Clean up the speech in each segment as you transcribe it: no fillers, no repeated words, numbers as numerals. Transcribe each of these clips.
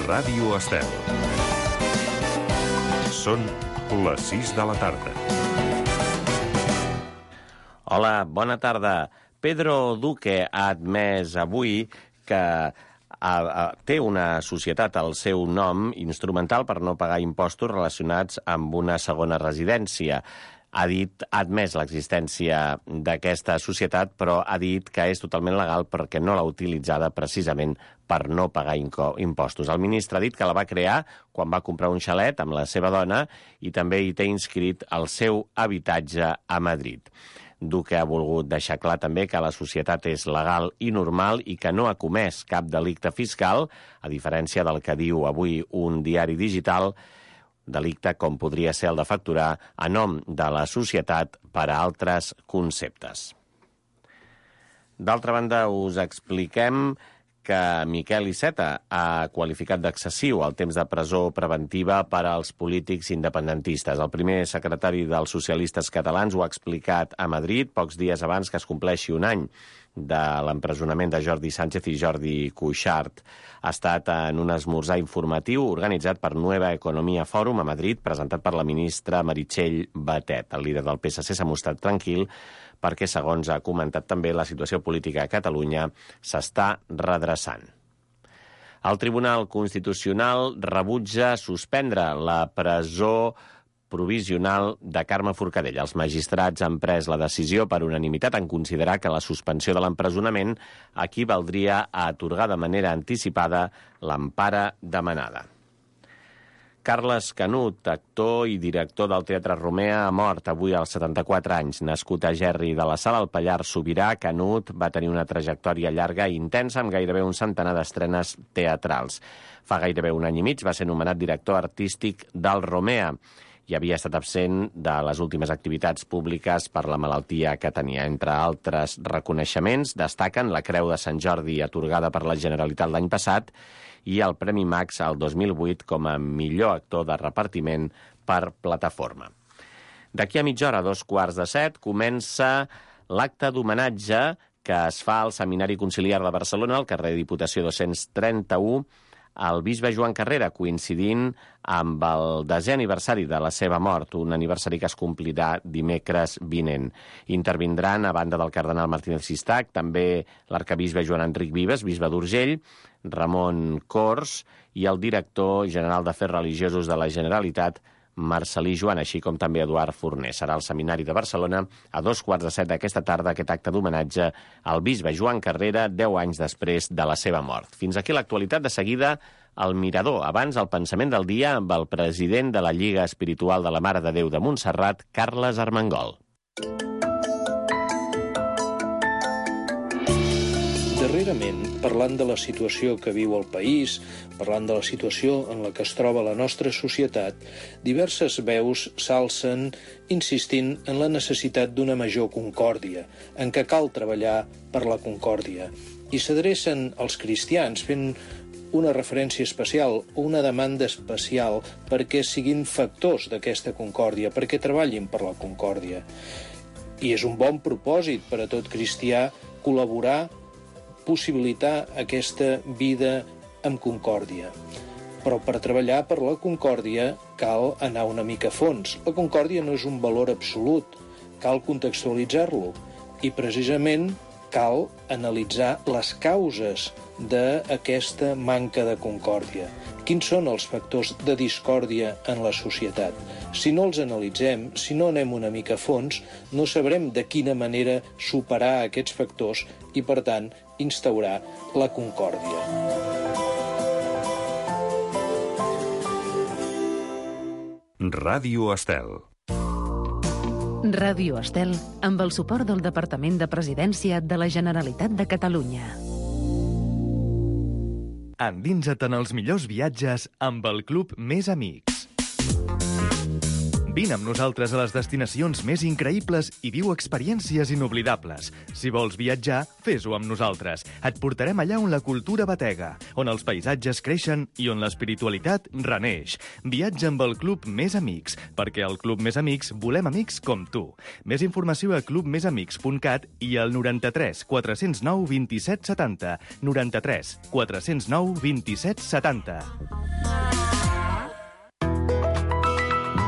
Ràdio Estel. Són les 6 de la tarda. Hola, bona tarda. Pedro Duque ha admès avui que té una societat al seu nom instrumental per no pagar impostos relacionats amb una segona residència. Ha admès l'existència d'aquesta societat, però ha dit que és totalment legal perquè no l'ha utilitzada precisament per no pagar impostos. El ministre ha dit que la va crear quan va comprar un xalet amb la seva dona i també hi té inscrit el seu habitatge a Madrid. Duque ha volgut deixar clar també que la societat és legal i normal i que no ha comès cap delicte fiscal, a diferència del que diu avui un diari digital, delicte com podria ser el de facturar a nom de la societat per a altres conceptes. D'altra banda, us expliquem que Miquel Iceta ha qualificat d'excessiu el temps de presó preventiva per als polítics independentistes. El primer secretari dels socialistes catalans ho ha explicat a Madrid pocs dies abans que es compleixi un any de l'empresonament de Jordi Sánchez i Jordi Cuixart. Ha estat en un esmorzar informatiu organitzat per Nueva Economía Forum a Madrid, presentat per la ministra Meritxell Batet. El líder del PSC s'ha mostrat tranquil perquè, segons ha comentat també, la situació política a Catalunya s'està redreçant. El Tribunal Constitucional rebutja suspendre la presó provisional de Carme Forcadell. Els magistrats han pres la decisió per unanimitat en considerar que la suspensió de l'empresonament equivaldria a atorgar de manera anticipada l'empara demanada. Carles Canut, actor i director del Teatre Romea, ha mort avui als 74 anys. Nascut a Gerri de la Sal, al Pallars Sobirà, Canut va tenir una trajectòria llarga i intensa amb gairebé un centenar d'estrenes teatrals. Fa gairebé un any i mig va ser nomenat director artístic del Romea i havia estat absent de les últimes activitats públiques per la malaltia que tenia. Entre altres reconeixements destaquen la Creu de Sant Jordi atorgada per la Generalitat l'any passat i el Premi Max al 2008 com a millor actor de repartiment per plataforma. D'aquí a mitja hora, a 7:15, comença l'acte d'homenatge que es fa al Seminari Conciliar de Barcelona, al carrer Diputació 231, al bisbe Joan Carrera, coincidint amb el 10è aniversari de la seva mort, un aniversari que es complirà dimecres vinent. Intervindran, a banda del cardenal Martínez Sistac, també l'arcabisbe Joan Enric Vives, bisbe d'Urgell, Ramon Cors i el director general d'Afers Religiosos de la Generalitat, Marcel·lí Joan, així com també Eduard Forner. Serà al Seminari de Barcelona a 7:15 d'aquesta tarda aquest acte d'homenatge al bisbe Joan Carrera 10 anys després de la seva mort. Fins aquí l'actualitat. De seguida, el Mirador. Abans, el pensament del dia amb el president de la Lliga Espiritual de la Mare de Déu de Montserrat, Carles Armengol. Darrerament, parlant de la situació que viu el país, parlant de la situació en la que es troba la nostra societat, diverses veus s'alcen insistint en la necessitat d'una major concòrdia, en què cal treballar per la concòrdia. I s'adrecen als cristians fent una referència especial o una demanda especial perquè siguin factors d'aquesta concòrdia, perquè treballin per la concòrdia. I és un bon propòsit per a tot cristià col·laborar, possibilitar aquesta vida amb concòrdia. Però per treballar per la concòrdia cal anar una mica a fons. La concòrdia no és un valor absolut, cal contextualitzar-lo i precisament cal analitzar les causes d'aquesta manca de concòrdia. Quins són els factors de discòrdia en la societat? Si no els analitzem, si no anem una mica a fons, no sabrem de quina manera superar aquests factors i, per tant, instaurar la concòrdia. Ràdio Estel. Ràdio Estel, amb el suport del Departament de Presidència de la Generalitat de Catalunya. Endinsa't en els millors viatges amb el Club Més Amics. Vine amb nosaltres a les destinacions més increïbles i viu experiències inoblidables. Si vols viatjar, fes-ho amb nosaltres. Et portarem allà on la cultura batega, on els paisatges creixen i on l'espiritualitat reneix. Viatja amb el Club Més Amics, perquè al Club Més Amics volem amics com tu. Més informació a clubmesamics.cat i al 93 409 27 70. 93 409 27 70.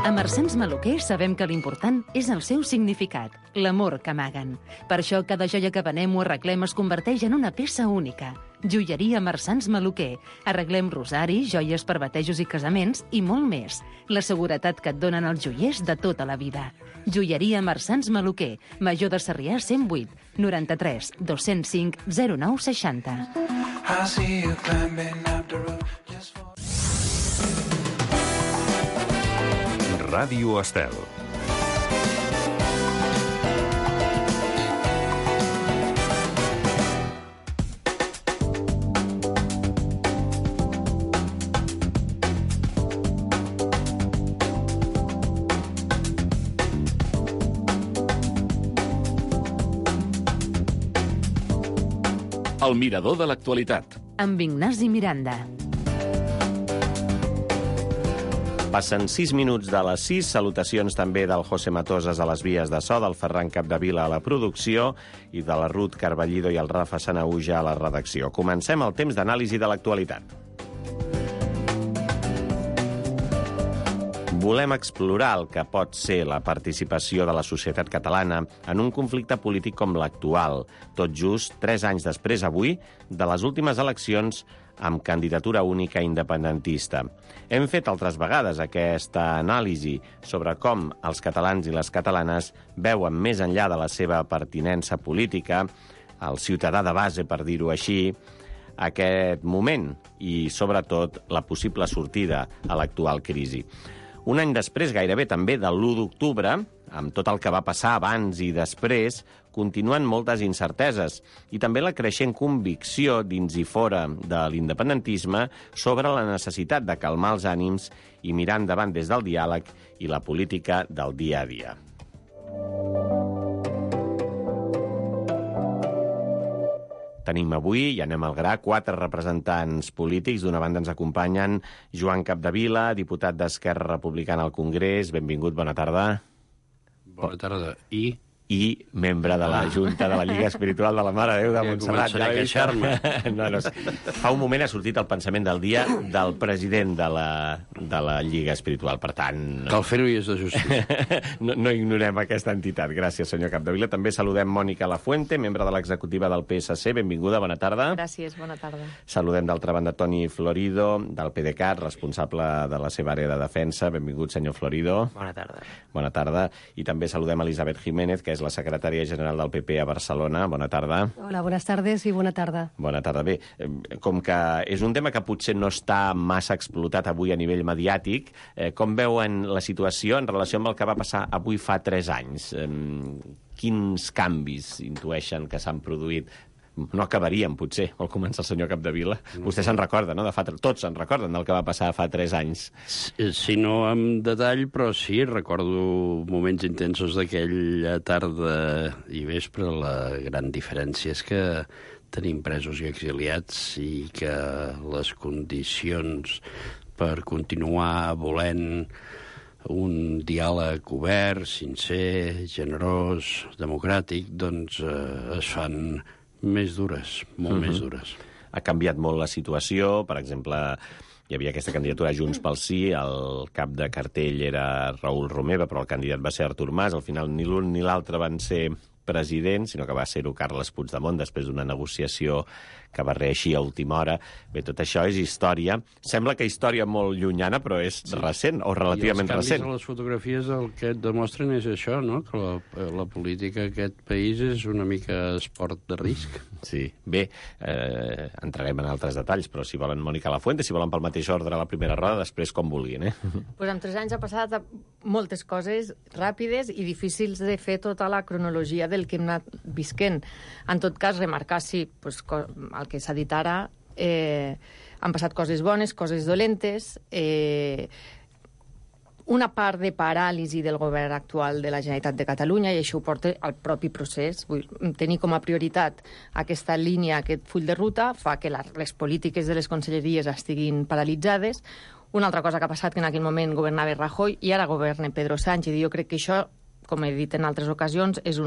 A Marsans Maluquer sabem que l'important és el seu significat, l'amor que amaguen. Per això cada joia que venem o arreglem es converteix en una peça única. Joieria Marsans Maluquer. Arreglem rosaris, joies per batejos i casaments i molt més. La seguretat que et donen els joiers de tota la vida. Joieria Marsans Maluquer. Major de Sarrià 108 93 205 09 60. Ràdio Estel. El mirador de l'actualitat. Amb Ignasi Miranda. Passen 6 minuts de les 6. Salutacions també del José Matosas a les vies de so, del Ferran Capdevila a la producció i de la Ruth Carballido i el Rafa Sanahuja a la redacció. Comencem el temps d'anàlisi de l'actualitat. Volem explorar el que pot ser la participació de la societat catalana en un conflicte polític com l'actual, tot just 3 anys després avui de les últimes eleccions amb candidatura única independentista. Hem fet altres vegades aquesta anàlisi sobre com els catalans i les catalanes veuen més enllà de la seva pertinença política, el ciutadà de base, per dir-ho així, aquest moment i, sobretot, la possible sortida a l'actual crisi. Un any després, gairebé també de l'1 d'octubre, amb tot el que va passar abans i després, continuen moltes incerteses i també la creixent convicció dins i fora de l'independentisme sobre la necessitat de calmar els ànims i mirar endavant des del diàleg i la política del dia a dia. Tenim avui, i anem al gra, 4 representants polítics. D'una banda ens acompanyen Joan Capdevila, diputat d'Esquerra Republicana al Congrés. Benvingut, bona tarda. Bona tarda. I membre de la Junta de la Lliga Espiritual de la Mare de Déu de Montserrat. Començaré a queixar-me. No, fa un moment ha sortit el pensament del dia del president de la Lliga Espiritual, per tant... Cal fer-ho i és de justícia. No ignorem aquesta entitat. Gràcies, senyor Capdevila. També saludem Mònica Lafuente, membre de l'executiva del PSC. Benvinguda, bona tarda. Gràcies, bona tarda. Saludem d'altra banda Toni Florido, del PDeCAT, responsable de la seva àrea de defensa. Benvingut, senyor Florido. Bona tarda. Bona tarda. I també saludem Elisabet Jiménez, que és la secretària general del PP a Barcelona. Bona tarda. Hola, buenas tardes i bona tarda. Bona tarda. Bé, com que és un tema que potser no està massa explotat avui a nivell mediàtic, com veuen la situació en relació amb el que va passar avui fa 3 anys? Quins canvis intueixen que s'han produït? No acabaríem, potser, al començar el senyor Capdevila. Vostè se'n recorda, no? Tots se'n recorden del que va passar fa 3 anys. Sí, no amb detall, però sí, recordo moments intensos d'aquella tarda i vespre. La gran diferència és que tenim presos i exiliats i que les condicions per continuar volent un diàleg obert, sincer, generós, democràtic, doncs es fan més dures, molt més dures. Ha canviat molt la situació. Per exemple, hi havia aquesta candidatura Junts pel Sí, el cap de cartell era Raül Romeva, però el candidat va ser Artur Mas. Al final ni l'un ni l'altre van ser president, sinó que va ser-ho Carles Puigdemont, després d'una negociació que va reeixir a última hora. Bé, tot això és història. Sembla que història molt llunyana, però és recent, o relativament recent. I els canvis a les fotografies el que et demostren és això, no? Que la política d'aquest país és una mica esport de risc. Sí. Bé, entrarem en altres detalls, però si volen Mònica Lafuente, si volen pel mateix ordre a la primera roda, després com vulguin, Pues en 3 anys ha passat moltes coses ràpides i difícils de fer tota la cronologia del que hem anat visquent. En tot cas, remarcar, sí, pues, el que s'ha dit ara, han passat coses bones, coses dolentes, una part de paràlisi del govern actual de la Generalitat de Catalunya, i això ho porta al propi procés. Tenir com a prioritat aquesta línia, aquest full de ruta, fa que les polítiques de les conselleries estiguin paralitzades. Una altra cosa que ha passat, que en aquell moment governava Rajoy i ara governa Pedro Sánchez, i jo crec que això, com he dit en altres ocasions, és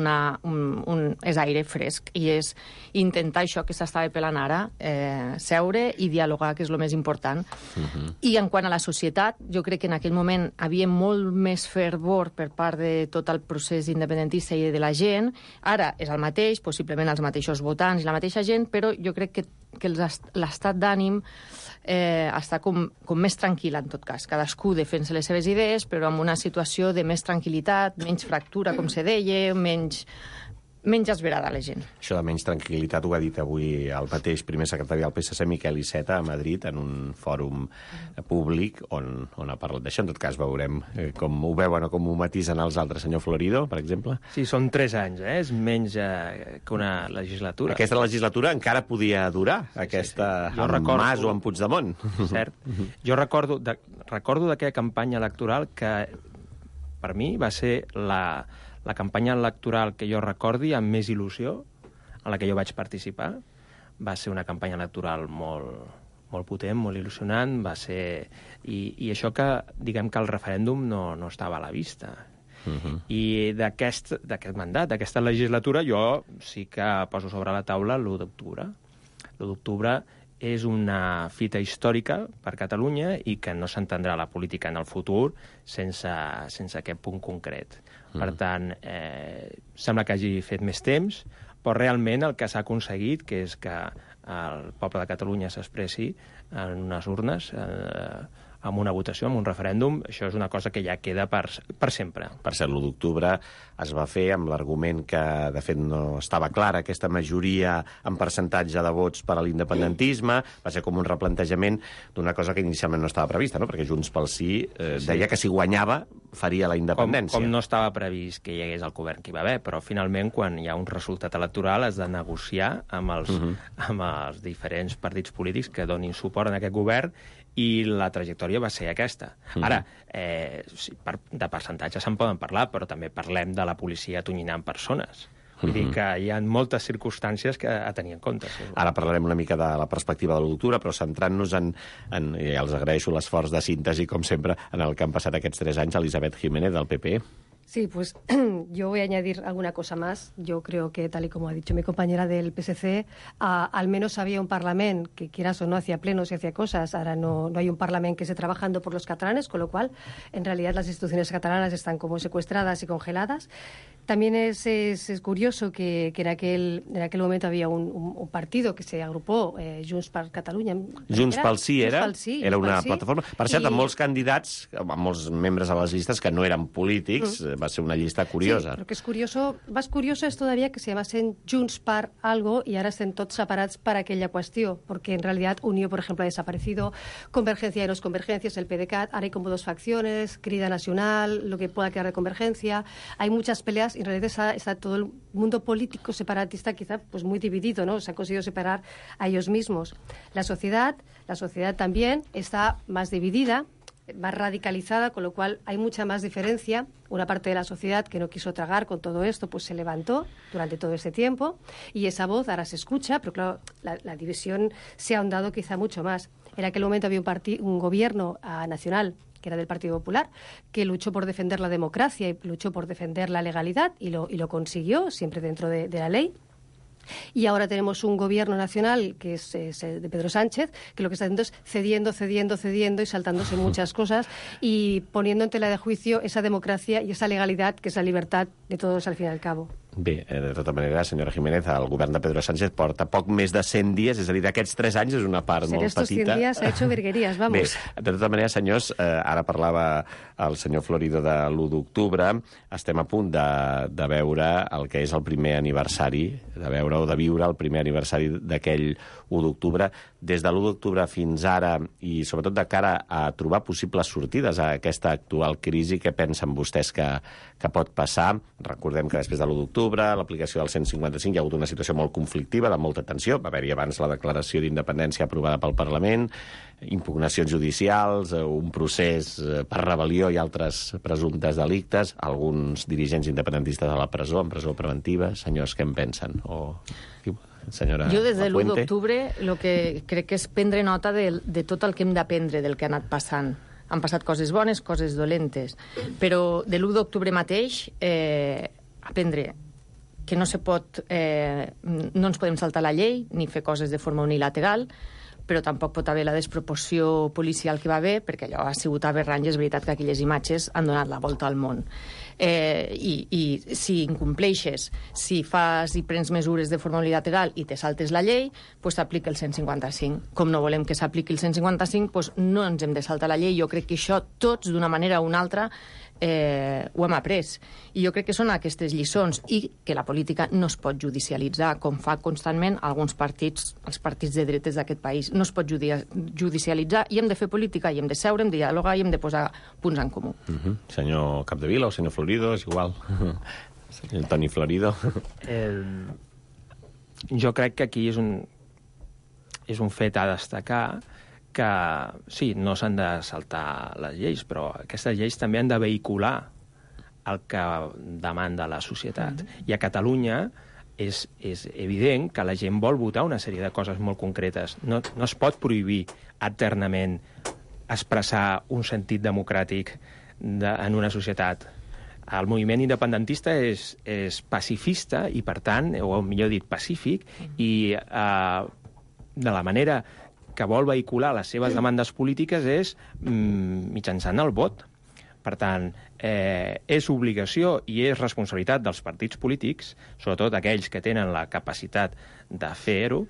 aire fresc, i és intentar això que s'estava pelant ara, seure i dialogar, que és el més important. I en quant a la societat, jo crec que en aquell moment havia molt més fervor per part de tot el procés independentista i de la gent. Ara és el mateix, possiblement els mateixos votants i la mateixa gent, però jo crec que l'estat d'ànim està com més tranquil, en tot cas. Cadascú defensa les seves idees, però amb una situació de més tranquil·litat, menys fractura, com se deia, menys esverada la gent. Això de menys tranquil·litat ho ha dit avui el mateix primer secretari del PSC, Miquel Iceta, a Madrid, en un fòrum públic on ha parlat d'això. En tot cas, veurem com ho veuen o com ho matisen els altres. Senyor Florido, per exemple? Sí, són 3 anys, és menys que una legislatura. Aquesta legislatura encara podia durar, aquesta amb Mas o amb Puigdemont. Cert. Jo recordo d'aquella campanya electoral que, per mi, va ser la campanya electoral que jo recordi amb més il·lusió, en la que jo vaig participar. Va ser una campanya electoral molt potent, molt il·lusionant, va ser... I això que, diguem que el referèndum no estava a la vista. I d'aquest mandat, d'aquesta legislatura, jo sí que poso sobre la taula l'1 d'octubre. L'1 d'octubre és una fita històrica per Catalunya i que no s'entendrà la política en el futur sense aquest punt concret. Per tant, sembla que hagi fet més temps, però realment el que s'ha aconseguit, que és que el poble de Catalunya s'expressi en unes urnes, amb una votació, amb un referèndum, això és una cosa que ja queda per sempre. Per cert, l'1 d'octubre es va fer amb l'argument que, de fet, no estava clara aquesta majoria en percentatge de vots per a l'independentisme. Va ser com un replantejament d'una cosa que inicialment no estava prevista, no? Perquè Junts pel Sí deia que si guanyava faria la independència. Com no estava previst que hi hagués el govern que hi va haver, però finalment, quan hi ha un resultat electoral, has de negociar amb els diferents partits polítics que donin suport en aquest govern, i la trajectòria va ser aquesta. Ara, de percentatges se'n poden parlar, però també parlem de la policia atonyinant persones. Vull dir que hi ha moltes circumstàncies que a tenir en compte. Ara parlarem una mica de la perspectiva de l'1 d'octubre, però centrant-nos i els agraeixo l'esforç de síntesi, com sempre, en el que han passat aquests 3 anys, Elisabeth Jiménez, del PP. Sí, pues yo voy a añadir alguna cosa más. Yo creo que, tal y como ha dicho mi compañera del PSC, al menos había un Parlament que, quieras o no, hacía plenos y hacía cosas. Ahora no hay un Parlament que esté trabajando por los catalanes, con lo cual, en realidad, las instituciones catalanas están como secuestradas y congeladas. También es curioso que en aquel momento había un partido que se agrupó, Junts per Catalunya. Junts pel Sí era una plataforma. Per cert, amb molts candidats, amb molts membres a les llistes que no eren polítics, va ser una llista curiosa. Sí, lo que es curioso, más curioso es todavía que se llamasen Junts per algo y ahora estén tots separats per aquella qüestió, porque en realidad Unió, por ejemplo, ha desaparecido, Convergencia y los Convergencias, el PDeCAT, ahora hay como 2 facciones, Crida Nacional, lo que pueda quedar de Convergencia, hay muchas peleas y en realidad está todo el mundo político separatista quizá pues muy dividido, ¿no? Se han conseguido separar a ellos mismos. La sociedad también está más dividida, más radicalizada, con lo cual hay mucha más diferencia. Una parte de la sociedad que no quiso tragar con todo esto, pues se levantó durante todo este tiempo y esa voz ahora se escucha, pero claro, la división se ha ahondado quizá mucho más. En aquel momento había un gobierno nacional que era del Partido Popular, que luchó por defender la democracia y luchó por defender la legalidad y lo consiguió, siempre dentro de la ley. Y ahora tenemos un gobierno nacional que es de Pedro Sánchez, que lo que está haciendo es cediendo y saltándose muchas cosas y poniendo en tela de juicio esa democracia y esa legalidad que es la libertad de todos al fin y al cabo. Bé, de tota manera, senyora Jiménez, el govern de Pedro Sánchez porta poc més de 100 dies, és a dir, d'aquests 3 anys és una part molt petita. Estos 100 días ha hecho virguerías, vamos. Bé, de tota manera, senyors, ara parlava el senyor Florido de l'1 d'octubre, estem a punt de veure el que és el primer aniversari, de veure o de viure el primer aniversari d'aquell 1 d'octubre. Des de l'1 d'octubre fins ara, i sobretot de cara a trobar possibles sortides a aquesta actual crisi, què pensen vostès que pot passar? Recordem que després de l'1 d'octubre d'octubre, l'aplicació del 155, hi ha hagut una situació molt conflictiva, de molta tensió. Va haver-hi abans la declaració d'independència aprovada pel Parlament, impugnacions judicials, un procés per rebel·lió i altres presumptes delictes, alguns dirigents independentistes a la presó, en presó preventiva. Senyors, què en pensen? Senyora Jo des de l'1 Lafuente. d'octubre el que crec que és prendre nota de tot el que hem d'aprendre del que ha anat passant. Han passat coses bones, coses dolentes, però de l'1 d'octubre mateix aprendre que no ens podem saltar la llei ni fer coses de forma unilateral, però tampoc pot haver la desproporció policial que va haver, perquè allò ha sigut aberrant i és veritat que aquelles imatges han donat la volta al món. I si incompleixes, si fas i prens mesures de forma unilateral i te saltes la llei, doncs s'aplica el 155. Com no volem que s'apliqui el 155, doncs no ens hem de saltar la llei. Jo crec que això tots, d'una manera o una altra, ho hem après. I jo crec que són aquestes lliçons i que la política no es pot judicialitzar, com fa constantment alguns partits, els partits de dretes d'aquest país. No es pot judicialitzar i hem de fer política, i hem de seure, hem de dialogar i hem de posar punts en comú. Senyor Capdevila o senyor Florido, és igual. Senyor Toni Florido. Jo crec que aquí és un fet a destacar que sí, no s'han de saltar les lleis, però aquestes lleis també han de vehicular el que demanda la societat. I a Catalunya és evident que la gent vol votar una sèrie de coses molt concretes. No es pot prohibir eternament expressar un sentit democràtic en una societat. El moviment independentista és pacifista i, per tant, o millor dit, pacífic, i de la manera que vol vehicular les seves demandes polítiques és mitjançant el vot. Per tant, és obligació i és responsabilitat dels partits polítics, sobretot aquells que tenen la capacitat de fer-ho,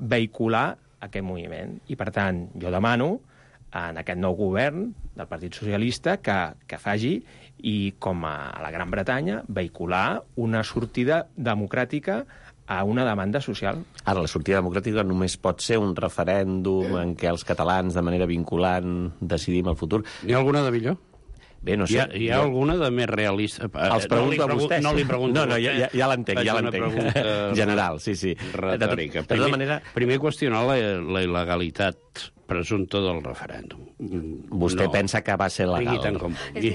vehicular aquest moviment. I, per tant, jo demano en aquest nou govern del Partit Socialista que faci, i com a la Gran Bretanya, vehicular una sortida democràtica a una demanda social. Ara, la sortida democràtica només pot ser un referèndum en què els catalans, de manera vinculant, decidim el futur. N'hi ha alguna de millor? Bé, no sé. Hi ha alguna de més realista? Els pregunto a vostès. No li pregunto No, ja l'entenc, ja l'entenc. General, sí. Retòrica. De tota manera... Primer qüestionar la il·legalitat presumpta del referèndum. Vostè pensa que va ser legal? Tant com vulgui.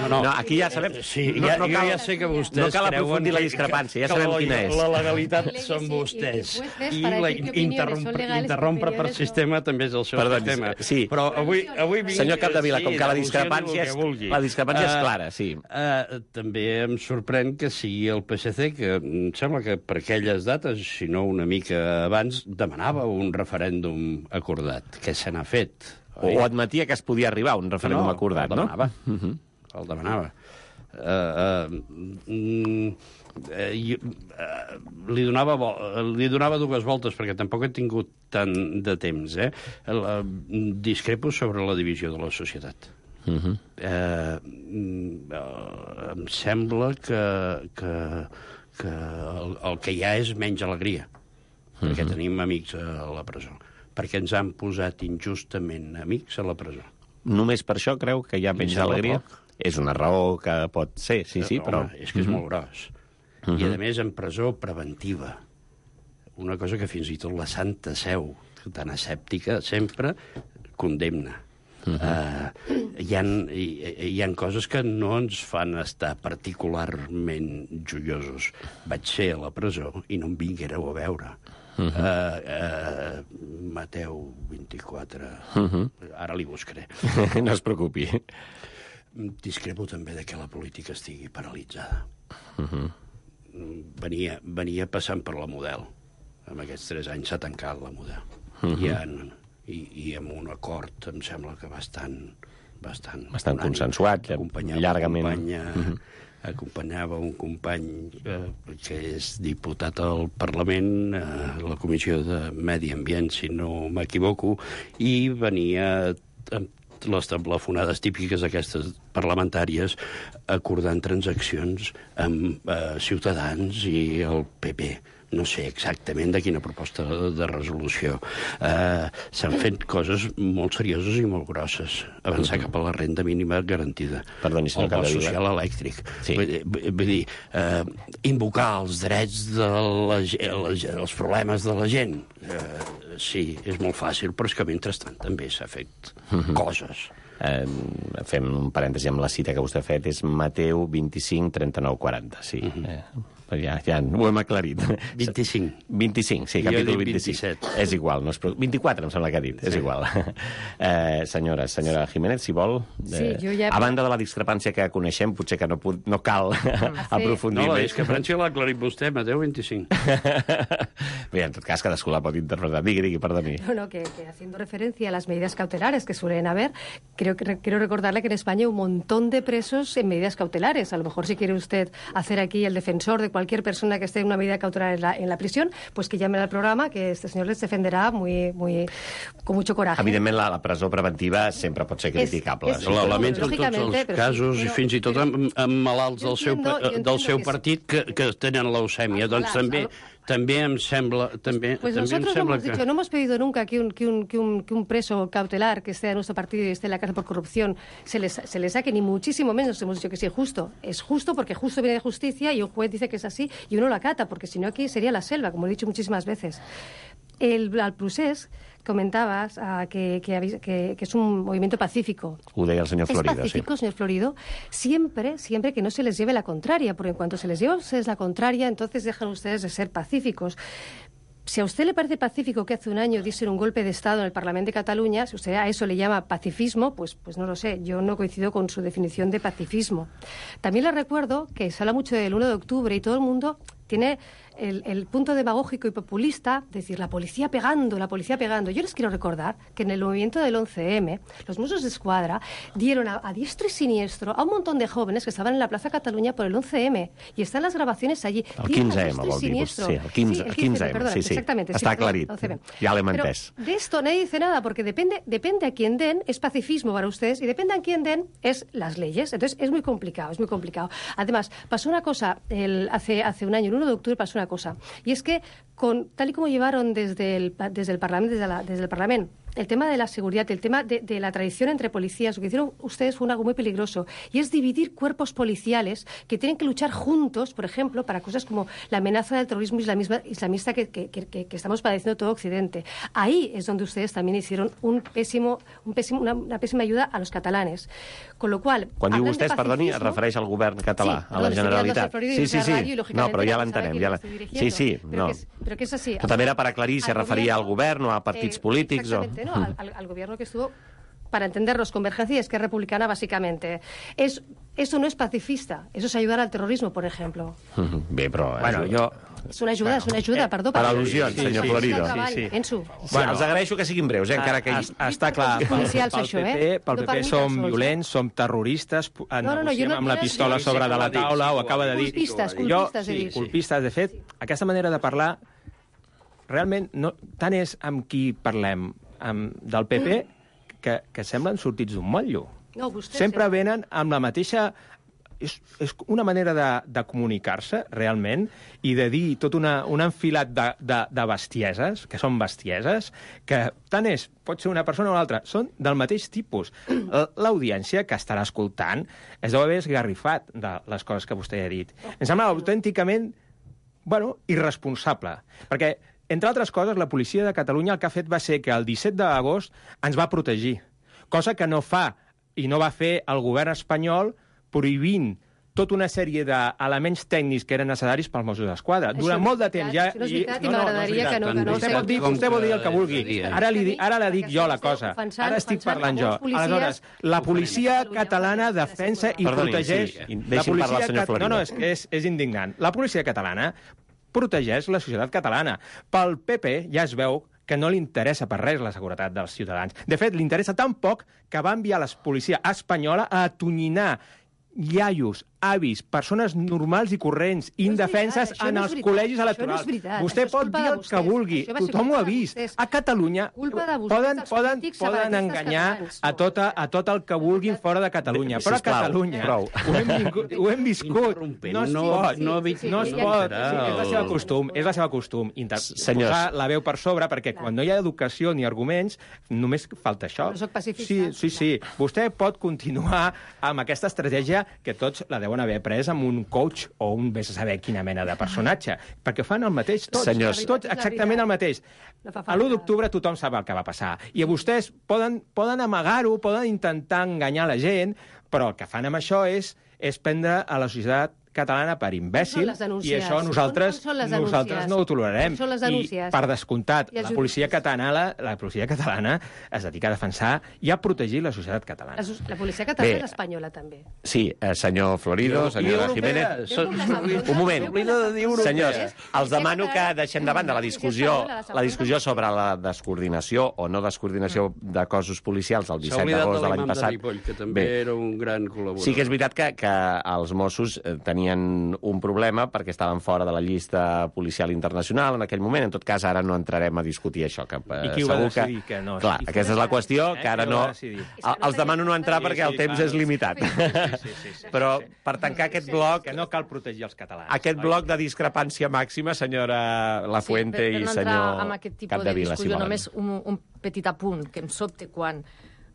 No, aquí ja sabem... Sí, jo ja sé que vostès no cal aprofundir la discrepància, ja sabem quina és. La legalitat són vostès. I interrompre per sistema també és el seu sistema. Sí. Però avui senyor Capdevila, com que la discrepància és clara, sí. També em sorprèn que sigui el PSC, que em sembla que per aquelles dates, si no una mica abans, demanava un referèndum acordat, que se n'ha fet. O admetia que es podia arribar a un referèndum acordat, no? El demanava. Li donava dues voltes, perquè tampoc he tingut tant de temps. Discrepo sobre la divisió de la societat. Em sembla que el que hi ha és menys alegria, perquè tenim amics a la presó, perquè ens han posat injustament amics a la presó. Només per això creu que hi ha menys alegria? És una raó que pot ser, sí, però... Home, és que és molt gros. I, a més, en presó preventiva. Una cosa que fins i tot la Santa Seu, tan escèptica, sempre condemna. Hi ha coses que no ens fan estar particularment joiosos. Vaig ser a la presó i no em vinguéreu a veure. Mateu 24. Ara li buscaré. No es preocupi. Discrepo també de que la política estigui paralitzada. Venia passant per la Model. En aquests 3 anys s'ha tancat la Model. I amb un acord, em sembla que bastant consensuat, llargament. Acompanyava un company que és diputat al Parlament, a la Comissió de Medi Ambient, si no m'equivoco, i venia amb les telefonades típiques aquestes parlamentàries acordant transaccions amb Ciutadans i el PP. no sé exactament de quina proposta de resolució. S'han fet coses molt serioses i molt grosses. Avançar cap a la renda mínima garantida. Perdoni, senyor el bo Capdevila. social elèctric. Sí. Vull dir, invocar els drets els problemes de la gent. Sí, és molt fàcil, però és que mentrestant també s'ha fet coses. Fem un parèntesi amb la cita que vostè ha fet, és Mateu 25, 39, 40, sí. Ja ho hem aclarit. 25. 25, sí, capítol 25. 27. És igual, no és 24 em sembla que ha dit, és igual. Senyora Jiménez, si vol, a banda de la discrepància que coneixem, potser que no cal aprofundir No, la més. discrepància l'ha aclarit vostè, Mateu 25. Bé, en tot cas, cadascú la pot interpretar. Digui, perdoni. No, que haciendo referencia a las medidas cautelares que suelen haber, quiero recordarle que en España hay un montón de presos en medidas cautelares. A lo mejor si quiere usted hacer aquí el defensor de cualquier persona que esté en una medida cautelar en la prisión, pues que llame al programa, que este señor les defenderà con mucho coraje. Evidentment, la presó preventiva sempre pot ser criticable. La lamento en tots els casos, i fins i tot amb malalts del seu partit que tenen leucèmia. Doncs també em sembla Pues nosotros no hemos dicho, no hemos pedido nunca que un preso cautelar que esté de nuestro partido y esté en la cárcel por corrupción se le saque, ni muchísimo menos hemos dicho que sí es justo. Es justo porque justo viene de justicia y un juez dice que es así y uno lo acata, porque si no aquí sería la selva, como he dicho muchísimas veces. Al procés comentabas que es un movimiento pacífico. Ho deia el senyor Florido, es pacífico, señor Florido, siempre que no se les lleve la contraria, porque en cuanto se les lleva a ustedes la contraria, entonces dejan ustedes de ser pacíficos. Si a usted le parece pacífico que hace un año diesen un golpe de Estado en el Parlamento de Cataluña, si usted a eso le llama pacifismo, pues no lo sé, yo no coincido con su definición de pacifismo. También le recuerdo que se habla mucho del 1 de octubre y todo el mundo tiene el punto demagógico y populista de decir la policía pegando. Yo les quiero recordar que en el movimiento del 11M, los Mossos d'Esquadra dieron a diestro y siniestro a un montón de jóvenes que estaban en la Plaza Cataluña por el 11M. Y están las grabaciones allí. El 15M, vol dir. Sí, el 15M, perdón, sí. Exactamente. Està aclarit. Ja l'hem entès. De esto nadie dice nada, porque depende a quién den, es pacifismo para ustedes, y depende a quién den, es las leyes. Entonces es muy complicado. Además, pasó una cosa, hace un año, el 1 de octubre pasó una cosa, y es que tal y como llevaron desde el Parlamento el tema de la seguridad, el tema de la tradición entre policías, lo que hicieron ustedes fue algo muy peligroso, y es dividir cuerpos policiales que tienen que luchar juntos, por ejemplo, para cosas como la amenaza del terrorismo islamista que estamos padeciendo todo Occidente. Ahí es donde ustedes también hicieron una pésima ayuda a los catalanes. Con lo cual... Quan diu vostès, perdoni, es refereix al govern català, a la Generalitat. Sí. No, però ja l'entenem. Sí, no. Pero que es así. Però també era per aclarir si es referia al govern o a partits polítics. Exactamente, ¿no? Al gobierno que estuvo, para entendernos, Convergencia y Esquerra Republicana, básicamente. Eso no es pacifista, eso es ayudar al terrorismo, por ejemplo. Bé, però... Bueno, jo... És una ajuda, perdó. Per al·lusions, senyor Florido. Els agraeixo que siguin breus, encara que... Està clar, pel PP som violents, som terroristes, negociem amb la pistola sobre de la taula, ho acaba de dir. Colpistes, de fet, aquesta manera de parlar, realment, tant és amb qui parlem del PP que semblen sortits d'un motllo. Sempre venen amb la mateixa... És una manera de comunicar-se, realment, i de dir tot un enfilat de bestieses, que són bestieses, que tant pot ser una persona o una altra, són del mateix tipus. L'audiència que estarà escoltant es deu haver esgarrifat de les coses que vostè ha dit. Em sembla autènticament, irresponsable, perquè, entre altres coses, la policia de Catalunya el que ha fet va ser que el 17 d'agost ens va protegir, cosa que no fa i no va fer el govern espanyol prohibint tota una sèrie d'elements tècnics que eren necessaris pels Mossos d'Esquadra. Durant molt de temps ja... No és veritat, i m'agradaria que no... Vostè pot dir el que vulgui. Ara la dic jo, la cosa. Ara estic parlant jo. Aleshores, la policia catalana defensa i protegeix... Deixi'm parlar el senyor Florido. No, és indignant. La policia catalana protegeix la societat catalana. Pel PP ja es veu que no li interessa per res la seguretat dels ciutadans. De fet, li interessa tan poc que va enviar la policia espanyola a atonyinar iaios avis, persones normals i corrents, indefenses en els col·legis electorals. Vostè pot dir el que vulgui, tothom ho ha vist. A Catalunya poden enganyar a tot el que vulguin fora de Catalunya, però a Catalunya ho hem viscut. No es pot. És la seva costum. Posar la veu per sobre, perquè quan no hi ha educació ni arguments, només falta això. No soc pacifista. Sí. Vostè pot continuar amb aquesta estratègia que tots la deuen haver pres amb un coach o un vés a saber quina mena de personatge, perquè fan el mateix tots. Senyors. Tots exactament el mateix. A l'1 d'octubre tothom sap el que va passar. I vostès poden amagar-ho, poden intentar enganyar la gent, però el que fan amb això és prendre a la societat catalana per imbècil, i això nosaltres no ho tolerarem. I, per descomptat, la policia catalana es dedica a defensar i a protegir la societat catalana. La policia catalana és espanyola, també. Sí, senyor Florido, senyora Jiménez... Un moment. Senyors, els demano que deixem davant de la discussió sobre la descoordinació o no descoordinació de cossos policials el 17 d'agost de l'any passat. Que també era un gran col·laborador. Sí que és veritat que els Mossos tenien un problema perquè estaven fora de la llista policial internacional en aquell moment. En tot cas, ara no entrarem a discutir això. I qui ho va decidir que no? Clar, aquesta és la qüestió, que ara no... Els demano no entrar perquè el temps és limitat. Però per tancar aquest bloc... Que no cal protegir els catalans. Aquest bloc de discrepància màxima, senyora Lafuente i senyor Capdevila. Per no entrar en aquest tipus de discussió, només un petit apunt, que em sobte quan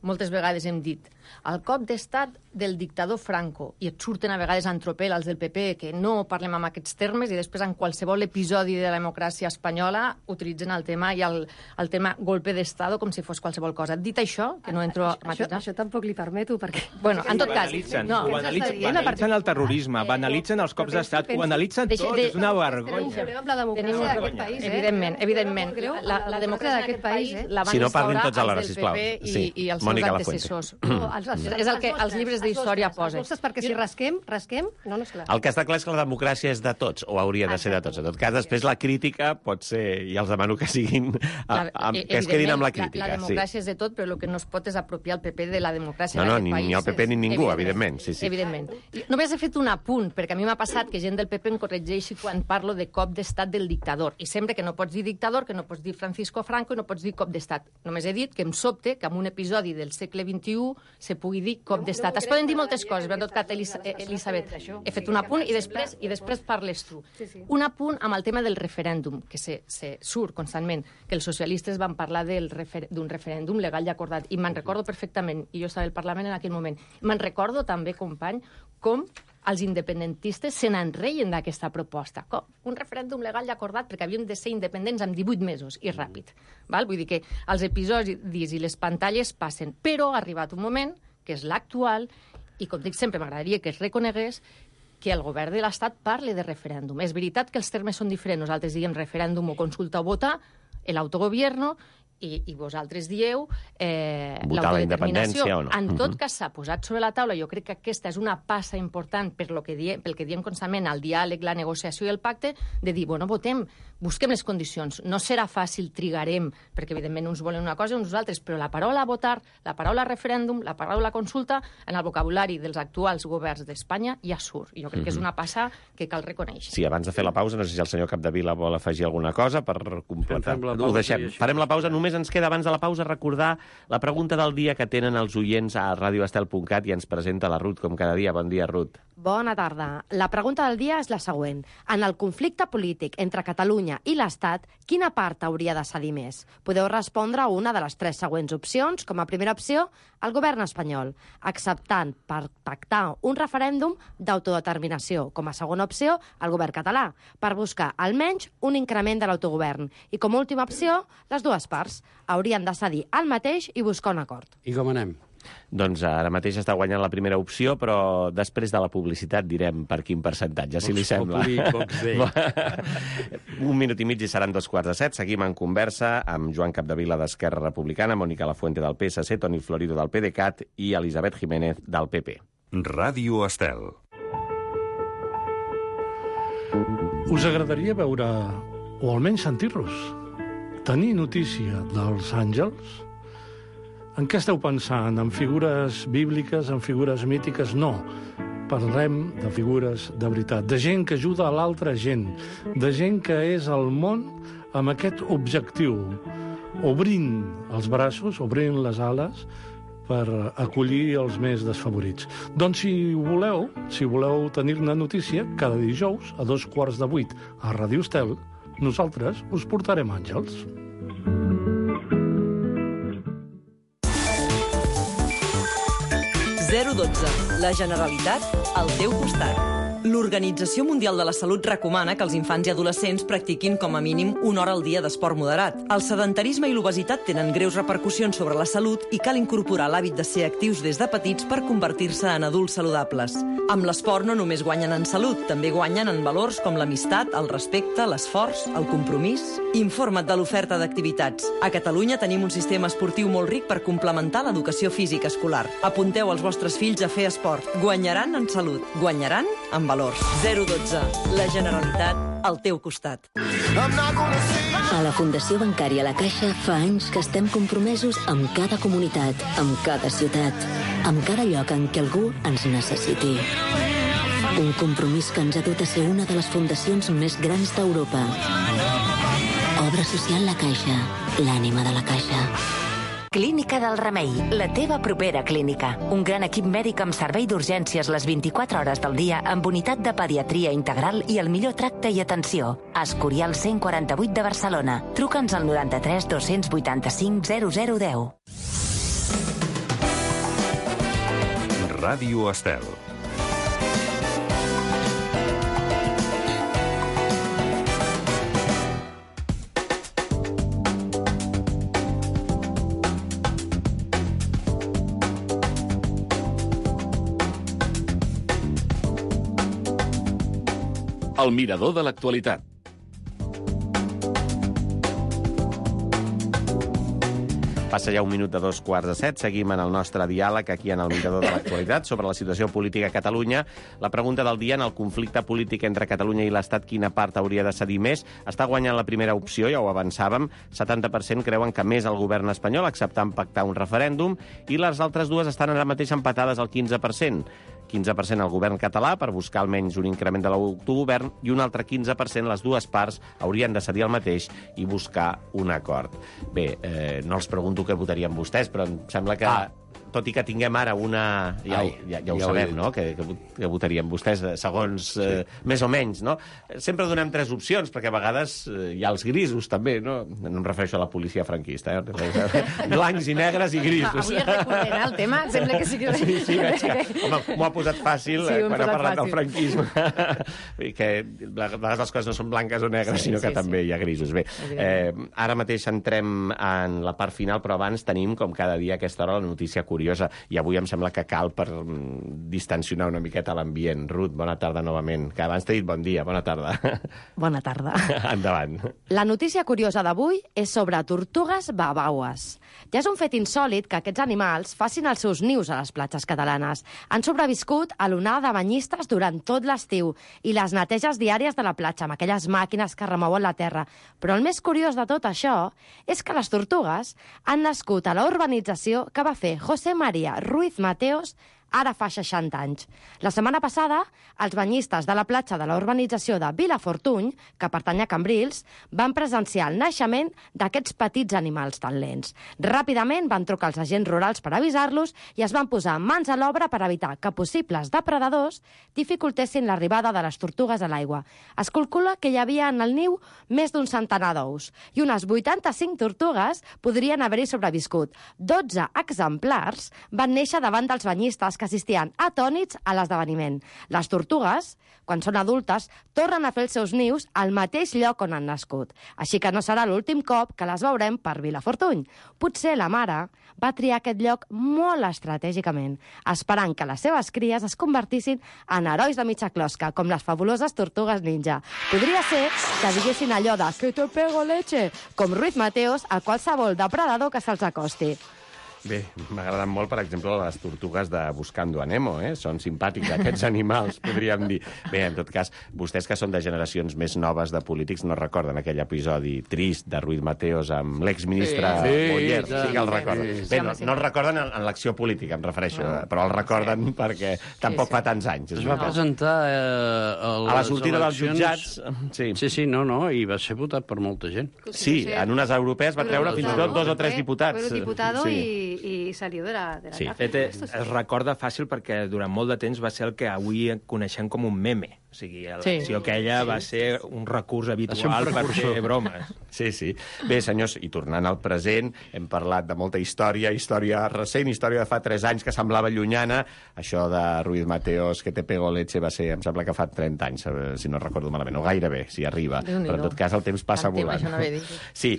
moltes vegades hem dit el cop d'estat del dictador Franco, i et surten a vegades en tropel els del PP que no parlem amb aquests termes, i després en qualsevol episodi de la democràcia espanyola utilitzen el tema i el tema golpe d'estado com si fos qualsevol cosa. Dit això, que no entro a matisar... Això tampoc li permeto, perquè... Bueno, en tot cas... Banalitzen el terrorisme, banalitzen els cops d'estat, ho analitzen tot, és una vergonya. Tenim la democràcia d'aquest país, Evidentment. La democràcia d'aquest país la van instaurar els del PP i els seus antecessors. És el que els llibres d'història posen. Perquè si rasquem, no, és clar. El que està clar és que la democràcia és de tots, o hauria de ser de tots. En tot cas, després la crítica pot ser, i els demano que siguin, que es quedin amb la crítica. La democràcia és de tot, però el que no es pot és apropiar el PP de la democràcia d'aquest país. Ni el PP ni ningú, evidentment. Evidentment. Només he fet un apunt, perquè a mi m'ha passat que gent del PP em corregeixi quan parlo de cop d'estat del dictador. I sempre que no pots dir dictador, que no pots dir Francisco Franco i no pots dir cop d'estat. Només he dit que em sobte que en un episodi del segle XXI se pugui dir cop d'estat. Es poden dir moltes coses, però en tot cas, Elisabet, he fet un apunt i després parles tu. Un apunt amb el tema del referèndum, que se surt constantment, que els socialistes van parlar d'un referèndum legal i acordat, i me'n recordo perfectament, i jo estava al Parlament en aquell moment. Me'n recordo també, company, com els independentistes se n'enreien d'aquesta proposta. Un referèndum legal i acordat perquè havíem de ser independents en 18 mesos i ràpid. Vull dir que els episodis i les pantalles passen, però ha arribat un moment, que és l'actual, i com dic sempre, m'agradaria que es reconegués que el govern de l'Estat parli de referèndum. És veritat que els termes són diferents. Nosaltres diguem referèndum o consulta o votar, l'autogovierno, i vosaltres dieu votar la independència o no. En tot cas, s'ha posat sobre la taula, jo crec que aquesta és una passa important pel que diem constantment, el diàleg, la negociació i el pacte, de dir, bueno, votem, busquem les condicions. No serà fàcil, trigarem, perquè evidentment uns volen una cosa i uns altres, però la paraula votar, la paraula referèndum, la paraula consulta, en el vocabulari dels actuals governs d'Espanya ja surt. I jo crec que és una passa que cal reconèixer. Sí, abans de fer la pausa, no sé si el senyor Capdevila vol afegir alguna cosa per completar. Ho deixem. Farem la pausa. Només ens queda, abans de la pausa, recordar la pregunta del dia que tenen els oients a radioestel.cat i ens presenta la Ruth, com cada dia. Bon dia, Ruth. Bona tarda. La pregunta del dia és la següent. En el conflicte polític entre Catalunya i l'Estat, quina part hauria de cedir més? Podeu respondre a una de les 3 següents opcions. Com a primera opció, el govern espanyol, acceptant per pactar un referèndum d'autodeterminació. Com a segona opció, el govern català, per buscar almenys un increment de l'autogovern. I com a última opció, les dues parts haurien de cedir el mateix i buscar un acord. I com anem? Doncs ara mateix està guanyant la primera opció, però després de la publicitat direm per quin percentatge, si li sembla. Un minut i mig i seran 2:15. Seguim en conversa amb Joan Capdevila d'Esquerra Republicana, Mònica Lafuente del PSC, Toni Florido del PDeCAT i Elisabet Jiménez del PP. Ràdio Estel. Us agradaria veure, o almenys sentir-los, tenir notícia dels àngels? En què esteu pensant? En figures bíbliques, en figures mítiques? No. parlem de figures de veritat, de gent que ajuda a l'altra gent, de gent que és al món amb aquest objectiu, obrint els braços, obrint les ales, per acollir els més desfavorits. Doncs si voleu tenir-ne notícia, cada dijous a 7:15 a Ràdio Estel, nosaltres us portarem àngels. La Generalitat al teu costat. L'Organització Mundial de la Salut recomana que els infants i adolescents practiquin com a mínim 1 hora al dia d'esport moderat. El sedentarisme i l'obesitat tenen greus repercussions sobre la salut i cal incorporar l'hàbit de ser actius des de petits per convertir-se en adults saludables. Amb l'esport no només guanyen en salut, també guanyen en valors com l'amistat, el respecte, l'esforç, el compromís. Informa't de l'oferta d'activitats. A Catalunya tenim un sistema esportiu molt ric per complementar l'educació física escolar. Apunteu els vostres fills a fer esport. Guanyaran en salut, guanyaran en valors. 012. La Generalitat al teu costat. A la Fundació Bancària La Caixa fa anys que estem compromesos amb cada comunitat, amb cada ciutat, amb cada lloc en què algú ens necessiti. Un compromís que ens ha dut a ser una de les fundacions més grans d'Europa. Obra social La Caixa, l'ànima de la Caixa. Clínica del Remei, la teva propera clínica. Un gran equip mèdic amb servei d'urgències les 24 hores del dia, amb unitat de pediatria integral i el millor tracte i atenció. Escorial 148 de Barcelona. Truca'ns al 93 285 0010. Ràdio Estel. El mirador de l'actualitat. Passa ja 1 minut de 7:15. Seguim en el nostre diàleg aquí en el mirador de l'actualitat sobre la situació política a Catalunya. La pregunta del dia: en el conflicte polític entre Catalunya i l'Estat, quina part hauria de cedir més? Està guanyant la primera opció, ja ho avançàvem. 70% creuen que més el govern espanyol, acceptant pactar un referèndum, i les altres dues estan ara mateix empatades al 15%. 15% al govern català per buscar almenys un increment de l'autogovern i un altre 15% les dues parts haurien de cedir el mateix i buscar un acord. Bé, no els pregunto què votarien vostès, però em sembla que, tot i que tinguem ara una... Ja ho sabem, no?, que votarien vostès, segons més o menys, no? Sempre donem 3 opcions, perquè a vegades hi ha els grisos, també, no? No em refereixo a la policia franquista, blancs i negres i grisos. Avui és recurrent, el tema? Sembla que sí que... Sí, veig que... Home, m'ho ha posat fàcil quan ha parlat del franquisme. I que a vegades les coses no són blanques o negres, sinó que també hi ha grisos. Bé, ara mateix entrem en la part final, però abans tenim, com cada dia a aquesta hora, la notícia curiosa. I avui em sembla que cal per distensionar una miqueta l'ambient. Ruth, bona tarda novament. Que abans t'he dit bon dia, bona tarda. Bona tarda. Endavant. La notícia curiosa d'avui és sobre tortugues babaues. Ja és un fet insòlit que aquests animals facin els seus nius a les platges catalanes. Han sobreviscut a l'onada de banyistes durant tot l'estiu i les neteges diàries de la platja amb aquelles màquines que remouen la terra. Però el més curiós de tot això és que les tortugues han nascut a la urbanització que va fer José María Ruiz Mateos ara fa 60 anys. La setmana passada, els banyistes de la platja de la urbanització de Vilafortuny, que pertany a Cambrils, van presenciar el naixement d'aquests petits animals tan lents. Ràpidament van trucar els agents rurals per avisar-los i es van posar mans a l'obra per evitar que possibles depredadors dificultessin l'arribada de les tortugues a l'aigua. Es calcula que hi havia en el niu més d'un centenar d'ous i unes 85 tortugues podrien haver-hi sobreviscut. 12 exemplars van néixer davant dels banyistes que assistien atònits a l'esdeveniment. Les tortugues, quan són adultes, tornen a fer els seus nius al mateix lloc on han nascut. Així que no serà l'últim cop que les veurem per Vilafortuny. Potser la mare va triar aquest lloc molt estratègicament, esperant que les seves cries es convertissin en herois de mitja closca, com les fabuloses tortugues ninja. Podria ser que diguessin allò de «que te pego leche», com Ruiz Mateos, a qualsevol depredador que se'ls acosti. Bé, m'ha agradat molt, per exemple, les tortugues de Buscando a Nemo, Són simpàtics, aquests animals, podríem dir. Bé, en tot cas, vostès que són de generacions més noves de polítics no recorden aquell episodi trist de Ruiz Mateos amb l'exministre Boyer. Sí que el recorden. Bé, no el recorden en l'acció política, em refereixo, però el recorden perquè tampoc fa tants anys. Es va presentar a la sortida dels jutjats. Sí, i va ser votat per molta gent. Sí, en unes europees va treure fins i tot 2 o 3 diputats. I salió de la cárcel. Es recorda fàcil perquè durant molt de temps va ser el que avui coneixem com un meme. O sigui, l'acció aquella va ser un recurs habitual per fer bromes. Sí. Bé, senyors, i tornant al present, hem parlat de molta història recent, història de fa 3 anys que semblava llunyana. Això de Ruiz Mateos, que te pego leche, va ser, em sembla que fa 30 anys, si no recordo malament, o gairebé, si arriba. Però en tot cas el temps passa volant. Sí,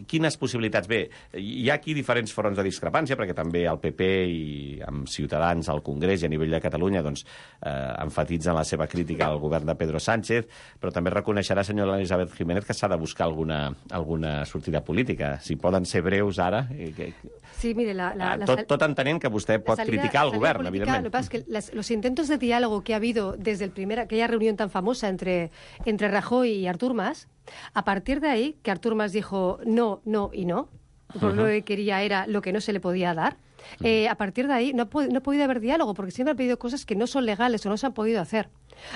quines possibilitats? Bé, hi ha aquí diferents fronts de discrepància, perquè també el PP i amb Ciutadans al Congrés i a nivell de Catalunya enfatitzen la seva crítica al govern de Pedro Sánchez, però també reconeixerà, senyora Elisabet Jiménez, que s'ha de buscar alguna sortida política. Si poden ser breus ara... Sí, mire, tot entenent que vostè pot criticar el govern, evidentment. Lo que pasa es que los intentos de diálogo que ha habido desde aquella reunión tan famosa entre Rajoy y Artur Mas, a partir de ahí, que Artur Mas dijo no, no y no, por lo que quería era lo que no se le podía dar, a partir de ahí no ha podido haber diálogo, porque siempre han pedido cosas que no son legales o no se han podido hacer.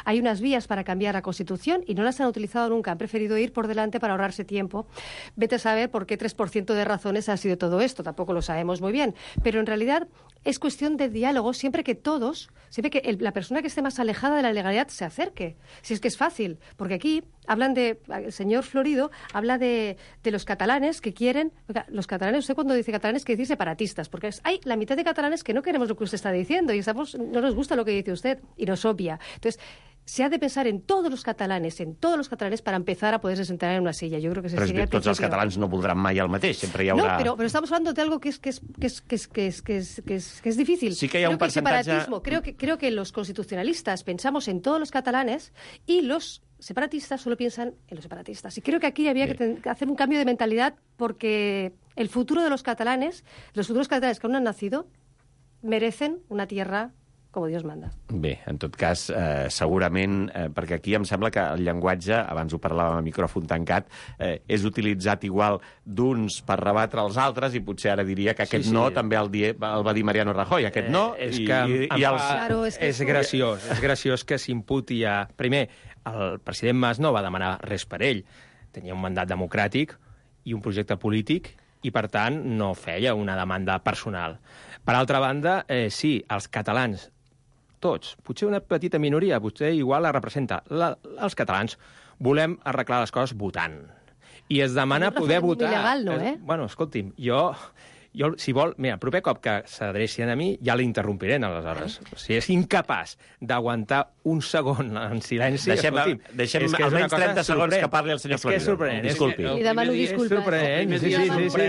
Hay unas vías para cambiar la Constitución y no las han utilizado nunca. Han preferido ir por delante para ahorrarse tiempo. Vete a saber por qué 3% de razones ha sido todo esto. Tampoco lo sabemos muy bien. Pero en realidad es cuestión de diálogo siempre que la persona que esté más alejada de la legalidad se acerque. Si es que es fácil. Porque aquí el señor Florido habla de los catalanes que quieren... Los catalanes, usted cuando dice catalanes quiere decir separatistas. Porque hay la mitad de catalanes que no queremos lo que usted está diciendo y no nos gusta lo que dice usted y nos obvia. Entonces, se ha de pensar en todos los catalanes para empezar a poderse sentar en una silla. Yo creo que però sería tots els catalans no voldran mai el mateix, sempre hi haurà... No, pero estamos hablando de algo que es difícil. Sí que hi ha un percentatge... Creo que los constitucionalistas pensamos en todos los catalanes y los separatistas solo piensan en los separatistas. Y creo que aquí había que hacer un cambio de mentalidad porque el futuro de los futuros catalanes que aún no han nacido, merecen una tierra com Dios manda. Bé, en tot cas, segurament, perquè aquí em sembla que el llenguatge, abans ho parlàvem a micròfon tancat, és utilitzat igual d'uns per rebatre els altres i potser ara diria que aquest no també el va dir Mariano Rajoy, aquest no, és graciós que s'imputi a... Primer, el president Mas no va demanar res per ell. Tenia un mandat democràtic i un projecte polític i, per tant, no feia una demanda personal. Per altra banda, sí, els catalans, tots, potser una petita minoria, potser igual la representa. Els catalans volem arreglar les coses votant. I es demana poder votar... Il·legal, no, Bueno, escolti'm, jo, si vol... Mira, el proper cop que s'adrecin a mi ja l'interrompiré, aleshores. Si és incapaç d'aguantar un segon en silenci... Deixem almenys 30 segons que parli el senyor Florido. És que és sorprenent. Disculpi. I demano disculpes. És sorprenent.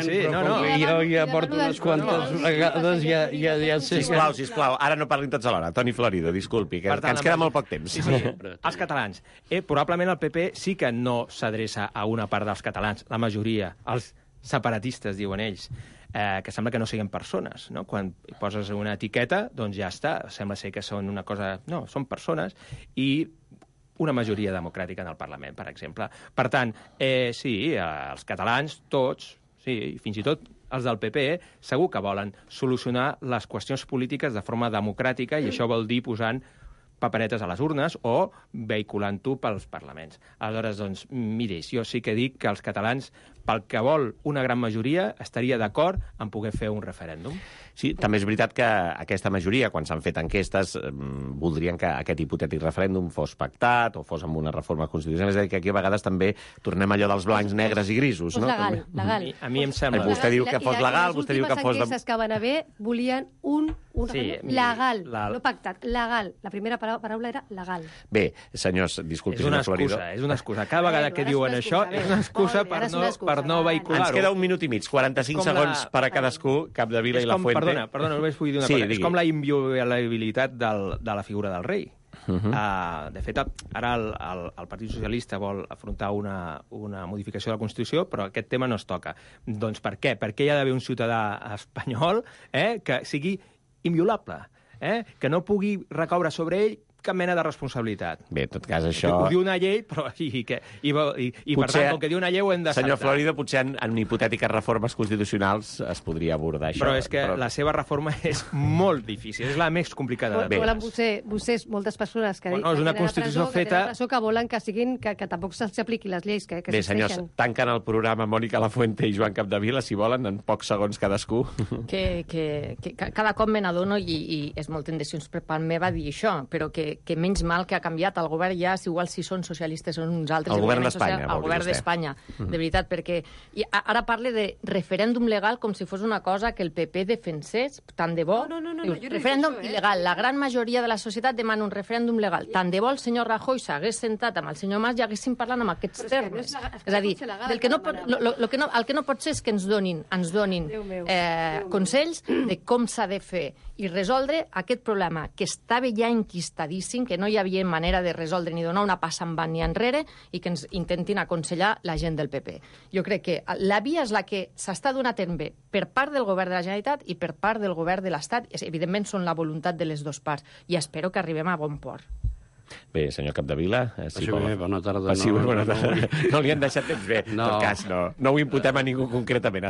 Sí. No. Jo ja porto unes quantes vegades, ja sé... Sisplau, ara no parlin tots alhora. Toni Florido, disculpi, que ens queda molt poc temps. Sí. Els catalans. Probablement el PP sí que no s'adreça a una part dels catalans, la majoria, els separatistes, diuen ells, que sembla que no siguin persones, no? Quan poses una etiqueta, doncs ja està, sembla ser que són una cosa... No, són persones i una majoria democràtica en el Parlament, per exemple. Per tant, sí, els catalans, tots, sí, fins i tot els del PP, segur que volen solucionar les qüestions polítiques de forma democràtica i això vol dir posant paperetes a les urnes o vehiculant-ho pels parlaments. Aleshores, doncs, miri, jo sí que dic que els catalans, pel que vol una gran majoria, estaria d'acord en poder fer un referèndum. Sí, també és veritat que aquesta majoria, quan s'han fet enquestes, voldrien que aquest hipotètic referèndum fos pactat o fos amb una reforma constitucional. És a dir, que aquí a vegades també tornem allò dels blancs, negres i grisos, no? Legal. A mi em sembla... Vostè diu que fos legal, vostè diu que fos... Les últimes enquestes que van haver volien un legal, no pactat, legal. La primera paraula era legal. Bé, senyors, disculpi, senyor Florido. És una excusa. Cada vegada que diuen això és una excusa per no vehicular-ho. Ens queda 1 minut i mig, 45 segons per a cadascú, Capdevila i Lafuente. Perdona, només vull dir una cosa. És com la inviolabilitat de la figura del rei. De fet, ara el Partit Socialista vol afrontar una modificació de la Constitució, però aquest tema no es toca. Doncs per què? Per què hi ha d'haver un ciutadà espanyol que sigui inviolable, que no pugui recaure sobre ell cap mena de responsabilitat. Bé, en tot cas, això... Ho diu una llei, però i per tant, com que diu una llei ho hem de Senyor saltar. Florido, potser en hipotètiques reformes constitucionals es podria abordar això. Però és que la seva reforma és molt difícil, és la més complicada. Volen vostès, moltes persones que és una constitució feta... que volen que tampoc se'ls apliqui les lleis que Bé, senyors, tanquen el programa Mònica Lafuente i Joan Capdevila, si volen, en pocs segons cadascú. Que cada cop me n'adono, i és molt tendencions per part meva dir això, però que menys mal que ha canviat el govern ja, si igual si són socialistes o uns altres. El govern d'Espanya. El govern d'Espanya, de veritat, perquè ara parle de referèndum legal com si fos una cosa que el PP defensés, tant de bo. No, referèndum il·legal. La gran majoria de la societat demana un referèndum legal. Tant de bo el senyor Rajoy s'hagués sentat amb el senyor Mas i haguessin parlat amb aquests termes. És a dir, el que no pot ser és que ens donin consells de com s'ha de fer i resoldre aquest problema que estava ja enquistadíssim, que no hi havia manera de resoldre ni donar una passa endavant ni enrere i que ens intentin aconsellar la gent del PP. Jo crec que la via és la que s'està donant bé per part del govern de la Generalitat i per part del govern de l'Estat. Evidentment són la voluntat de les dues parts i espero que arribem a bon port. Bé, senyor Capdevila... Bona tarda. No li han deixat temps bé. En tot cas, no ho imputem a ningú concretament.